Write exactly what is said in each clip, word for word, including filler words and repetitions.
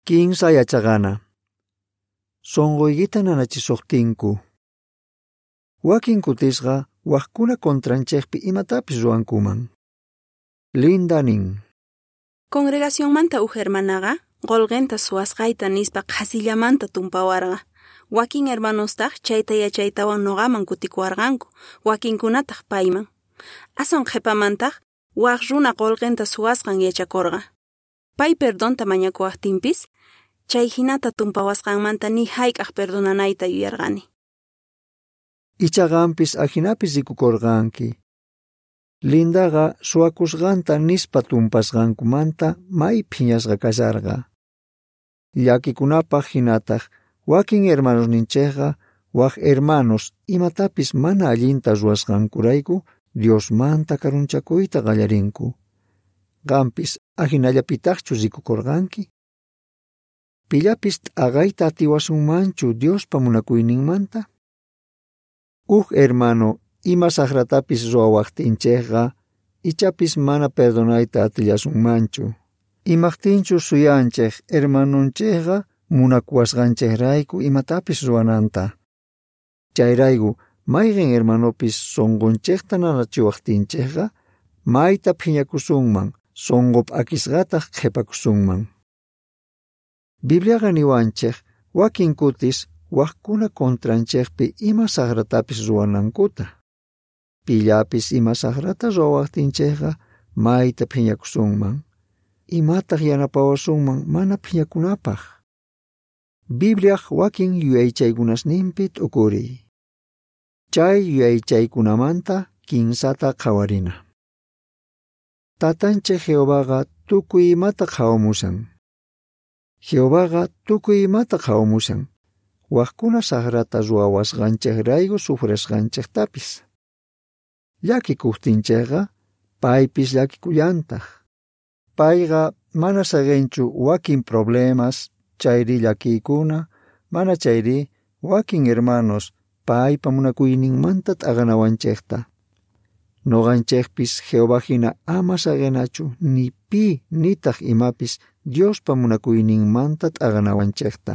Kinsa yachaqana. Sonqoykita nanachisuqtinku. Wakin kutisqa waqkuna contranchikpi imatapis ruwankuman. Linda nin. Congregacionmanta uj hermanaqa qolqenta suwasqayta nispa qhasillamanta tumpawarqa. Wakin hermanostaq chayta yachaytawan noqaman kutikuwarqanku, wakinkunataq payman. Aswan qhipamantaq waq runa qolqenta suwasqan yachakurqa. Pay perdonta mañakuwaqtinpis, chay hinata tumpawasqanmanta ni hayk'aq perdonanayta yuyarqani. Icha qampis ajinapis rikukurqanki. Lindaqa suwakusqanta nispa tumpasqankumanta may phiñasqa kasharqa. Llakikunapaq hinataq wakin hermanosninchikqa wak hermanos imatapis mana allinta ruwasqankurayku Diosmanta karunchakuyta qallarinku. Qampis ajinallapitaqchu rikukurqanki? Pillapis t'aqayta atiwasunmanchu Diospa munakuyninmanta? Uj hermano ima saqratapis ruwawaqtinchikqa ichapis mana perdonayta atillasunmanchu. Imaqtinchu suyanchik hermanonchikqa munakuwasqanchikrayku imatapis ruwananta. Chayrayku mayqin hermanopis sunqunchikta nanachiwaqtinchikqa mayta phiñakusunman, sunqu p'akisqataq qhipakusunman. Bibliaqa niwanchik wakin kutis waqkuna contranchikpi ima saqratapis ruwanankuta. Pillapis ima saqrata ruwawaqtinchikqa mayta phiñakusunman. Imataq yanapawasunman mana phiñakunapaq? Bibliaq wakin yuyaychaykunasninpi t'ukuriy. Chay yuyaychaykunamanta kinsata qhawarina. Tatanchik Jehovaqa tukuy imata qhawamushan. Jehovaqa tukuy imata qhawamushan. Waqkuna saqrata ruwawasqanchikrayku sufrisqanchiktapis. Llakikuqtinchikqa paypis llakikullantaq. Payqa mana saqinchu wakin problemas chayri llakiykuna, mana chayri wakin hermanos paypa munakuyninmanta t'aqanawanchikta. Noqanchikpis Jehová hina ama saqinachu ni pi nitaq imapis Diospa munakuyninmanta t'aqanawanchikta.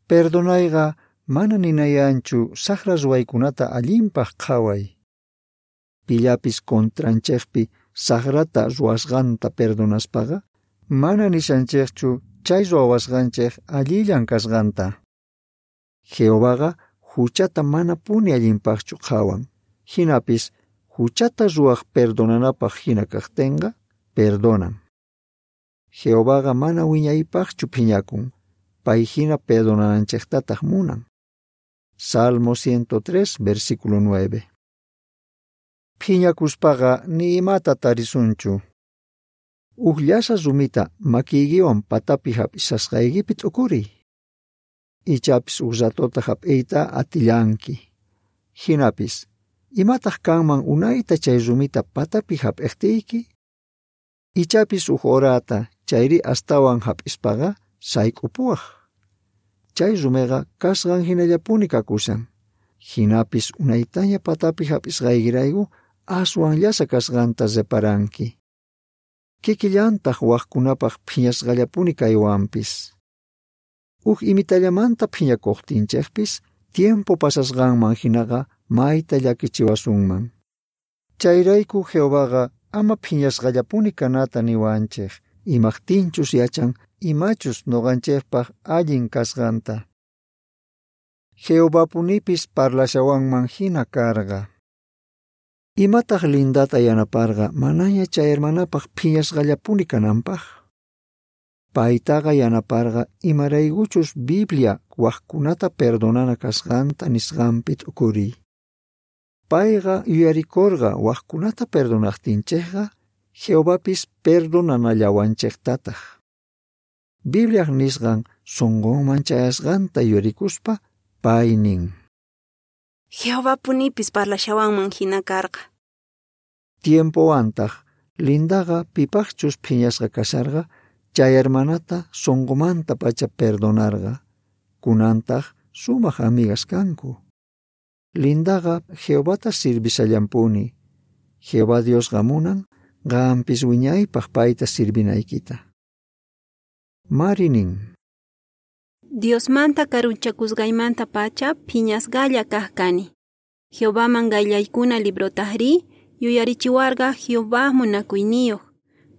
Perdonayqa mana ninayanchu saqra ruwaykunata allinpaq qhaway. Pillapis contranchikpi saqrata ruwasqanta perdonaspaqa mana nishanchikchu chay ruwawasqanchik allillan kasqanta. Jehovaqa huchata manapuni allinpaqchu qhawan. Hinapis huchata ruwaq perdonanapaq hina kaqtinqa perdonan. Jehovaqa mana wiñaypaqchu phiñakun, pay hina perdonananchiktataq munan. Salmo ciento tres, versículo nueve. Phiñakuspaqa ni imata tarisunchu. Uj llasa rumita makiykiwan patapi hap'isasqaykipi t'ukuriy. Ichapis uj ratota hap'iyta atillanki. Hinapis, imataq kanman unayta chay rumita patapi hap'iqtiyki? Ichapis uj horata chayri astawan hap'ispaqa sayk'upuwaq. Chay rumiqa kasqan hinallapuni kakushan. Hinapis unaytaña patapi hap'isqaykirayku aswan llasa kasqanta reparanki. Kikillantaq waqkunapaq phiñasqallapuni kaywanpis. Uj imitallamanta phiñakuqtinchikpis tiempo pasasqanman hinaqa mayta llakichiwasunman. Chayrayku Jehovaqa ama phiñasqallapuni kanata niwanchik, imaqtinchus yachan imachus noqanchikpaq allin kasqanta. Jehovapunipis parlashawanman hina karqa. Imataq Lindata yanaparqa manaña chay hermanapaq phiñasqallapuni kananpaq? Paytaqa yanaparqa imaraykuchus Biblia waqkunata perdonana kasqanta nisqanpi t'ukuriy. Payqa yuyarikurqa waqkunata perdonaqtinchikqa Jehovapis perdonanallawanchiktataq. Bibliaq nisqan sunqunman chayasqanta yuyarikuspa pay nin. Jehovapunipis parlashawanman hina karqa. Tiempowantaq Lindaqa pipaqchus phiñasqa kasharqa chay hermanata sunqumanta pacha perdonarqa. Kunantaq sumaq amigas kanku. Lindaqa Jehovata sirvishallanpuni. Jehová Diosqa munan qampis wiñaypaq payta sirvinaykita. Mari nin: Diosmanta karunchakusqaymantapacha phiñasqalla kaj kani. Jehovaman qayllaykuna librotajrí yuyarichiwarqa Jehová munakuyniyoj,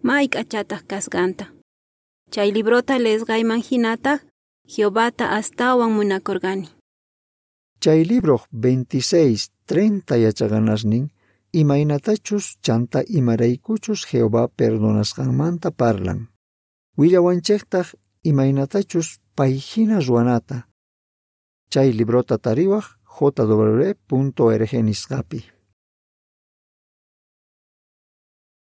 may k'achataj kasqanta. Chay librota leesqayman jinataj Jehovata astawan munakorqani. Chay libroj veintiséis, treinta yachaqanasnin imaynatachus chanta imaraykuchus Jehová perdonasqanmanta parlan. Willawanchejtaj imaynatachus pay jina ruwanata. Chay librota tariwaj J W punto org nisqapi.